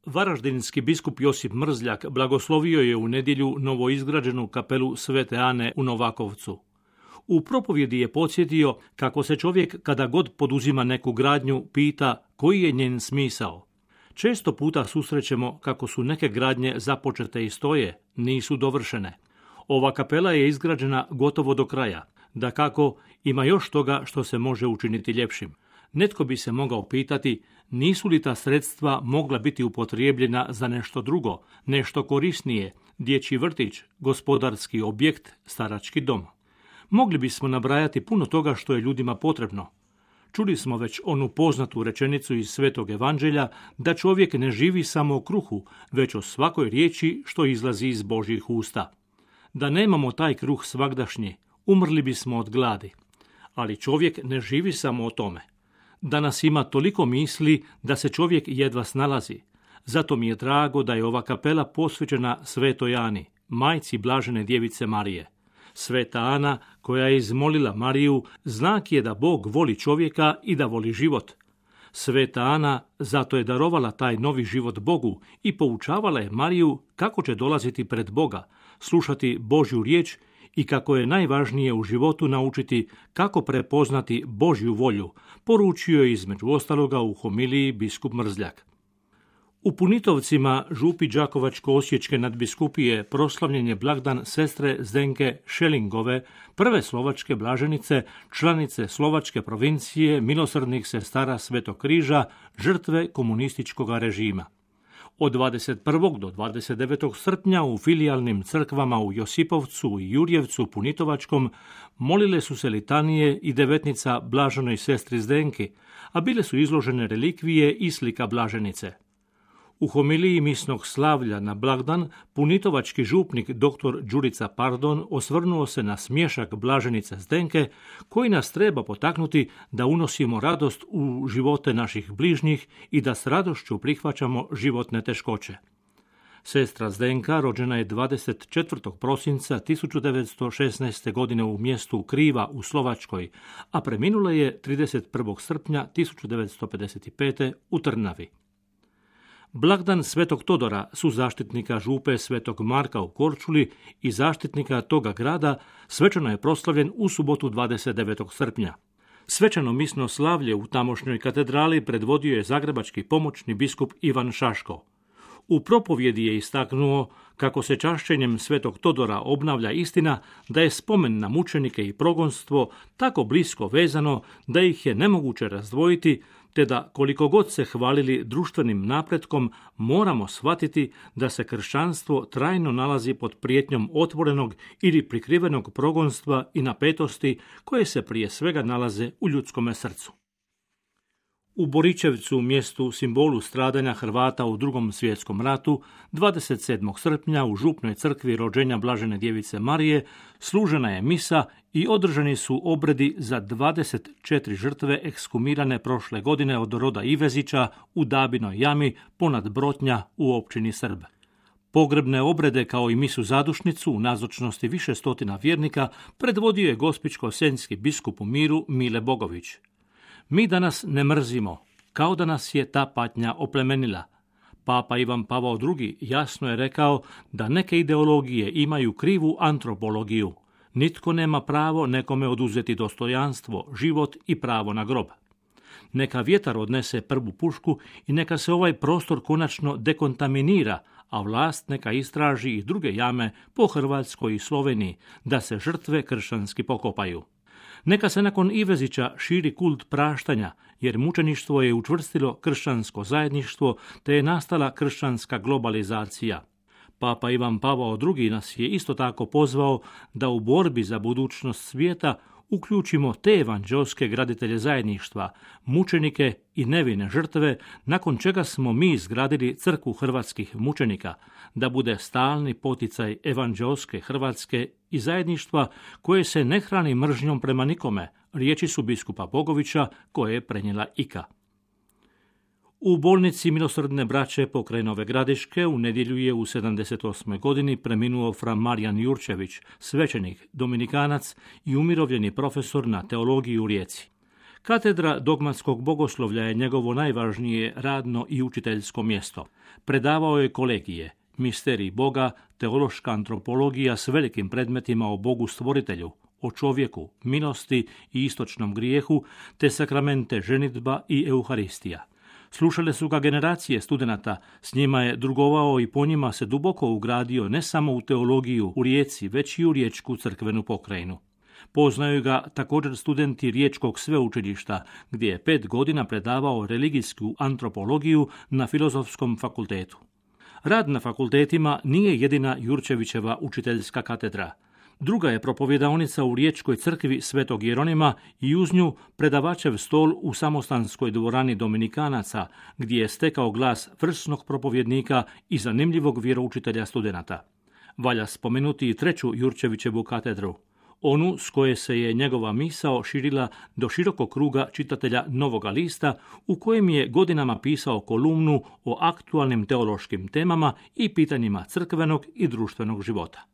Varaždinski biskup Josip Mrzljak blagoslovio je u nedjelju novoizgrađenu kapelu Svete Ane u Novakovcu. U propovjedi je podsjetio kako se čovjek kada god poduzima neku gradnju pita koji je njen smisao. Često puta susrećemo kako su neke gradnje započete i stoje, nisu dovršene. Ova kapela je izgrađena gotovo do kraja. Dakako, ima još toga što se može učiniti ljepšim. Netko bi se mogao pitati, nisu li ta sredstva mogla biti upotrijebljena za nešto drugo, nešto korisnije, dječji vrtić, gospodarski objekt, starački dom. Mogli bismo nabrajati puno toga što je ljudima potrebno. Čuli smo već onu poznatu rečenicu iz Svetog Evanđelja da čovjek ne živi samo o kruhu, već o svakoj riječi što izlazi iz Božjih usta. Da nemamo taj kruh svagdašnji, umrli bismo od gladi. Ali čovjek ne živi samo o tome. Danas ima toliko misli da se čovjek jedva snalazi. Zato mi je drago da je ova kapela posvećena Svetoj Ani, majci blažene djevice Marije. Sveta Ana, koja je izmolila Mariju, znak je da Bog voli čovjeka i da voli život. Sveta Ana zato je darovala taj novi život Bogu i poučavala je Mariju kako će dolaziti pred Boga, slušati Božju riječ i kako je najvažnije u životu naučiti kako prepoznati Božju volju, poručio je između ostaloga u homiliji biskup Mrzljak. U Punitovcima, župi Đakovačko-osječke nadbiskupije, proslavljen je blagdan sestre Zdenke Šelingove, prve slovačke blaženice, članice slovačke provincije milosrdnih sestara Svetog križa, žrtve komunističkog režima. Od 21. do 29. srpnja u filijalnim crkvama u Josipovcu i Jurjevcu Punitovačkom molile su se litanije i devetnica blaženoj sestri Zdenki, a bile su izložene relikvije i slika blaženice. U homiliji misnog slavlja na blagdan punitovački župnik dr. Đurica Pardon osvrnuo se na smješak blaženice Zdenke koji nas treba potaknuti da unosimo radost u živote naših bližnjih i da s radošću prihvaćamo životne teškoće. Sestra Zdenka rođena je 24. prosinca 1916. godine u mjestu Kriva u Slovačkoj, a preminula je 31. srpnja 1955. u Trnavi. Blagdan Svetog Todora, suzaštitnika župe Svetog Marka u Korčuli i zaštitnika toga grada, svečano je proslavljen u subotu 29. srpnja. Svečano misno slavlje u tamošnjoj katedrali predvodio je zagrebački pomoćni biskup Ivan Šaško. U propovjedi je istaknuo kako se čašćenjem Svetog Todora obnavlja istina da je spomen na mučenike i progonstvo tako blisko vezano da ih je nemoguće razdvojiti, te da koliko god se hvalili društvenim napretkom, moramo shvatiti da se kršćanstvo trajno nalazi pod prijetnjom otvorenog ili prikrivenog progonstva i napetosti koje se prije svega nalaze u ljudskome srcu. U Boričevcu, mjestu simbolu stradanja Hrvata u Drugom svjetskom ratu, 27. srpnja u župnoj crkvi rođenja blažene djevice Marije služena je misa i održani su obredi za 24 žrtve ekshumirane prošle godine od roda Ivezića u Dabinoj jami ponad Brotnja u općini Srb. Pogrebne obrede kao i misu zadušnicu u nazočnosti više stotina vjernika predvodio je gospićko-senjski biskup u miru Mile Bogović. Mi danas ne mrzimo, kao da nas je ta patnja oplemenila. Papa Ivan Pavao II jasno je rekao da neke ideologije imaju krivu antropologiju. Nitko nema pravo nekome oduzeti dostojanstvo, život i pravo na grob. Neka vjetar odnese prvu pušku i neka se ovaj prostor konačno dekontaminira, a vlast neka istraži i druge jame po Hrvatskoj i Sloveniji, da se žrtve kršćanski pokopaju. Neka se nakon Ivezića širi kult praštanja, jer mučeništvo je učvrstilo kršćansko zajedništvo, te je nastala kršćanska globalizacija. Papa Ivan Pavao II nas je isto tako pozvao da u borbi za budućnost svijeta uključimo te evanđelske graditelje zajedništva, mučenike i nevine žrtve, nakon čega smo mi izgradili crkvu hrvatskih mučenika, da bude stalni poticaj evanđelske Hrvatske i zajedništva koje se ne hrani mržnjom prema nikome, riječi su biskupa Bogovića koje je prenijela Ika. U bolnici Milosrdne braće pokraj Nove Gradiške u nedjelju je u 78. godini preminuo fra Marijan Jurčević, svećenik, dominikanac i umirovljeni profesor na teologiji u Rijeci. Katedra dogmatskog bogoslovlja je njegovo najvažnije radno i učiteljsko mjesto. Predavao je kolegije, misterij Boga, teološka antropologija s velikim predmetima o Bogu stvoritelju, o čovjeku, milosti i istočnom grijehu, te sakramente ženidba i euharistija. Slušale su ga generacije studenata, s njima je drugovao i po njima se duboko ugradio ne samo u teologiju u Rijeci, već i u riječku crkvenu pokrajinu. Poznaju ga također studenti Riječkog sveučilišta, gdje je 5 godina predavao religijsku antropologiju na Filozofskom fakultetu. Rad na fakultetima nije jedina Jurčevićeva učiteljska katedra. Druga je propovjedaonica u Riječkoj crkvi Svetog Jeronima i uz nju predavačev stol u samostanskoj dvorani Dominikanaca, gdje je stekao glas vrsnog propovjednika i zanimljivog vjeroučitelja studenata. Valja spomenuti i treću Jurčevićevu katedru, onu s koje se je njegova misao širila do širokog kruga čitatelja Novoga lista, u kojem je godinama pisao kolumnu o aktualnim teološkim temama i pitanjima crkvenog i društvenog života.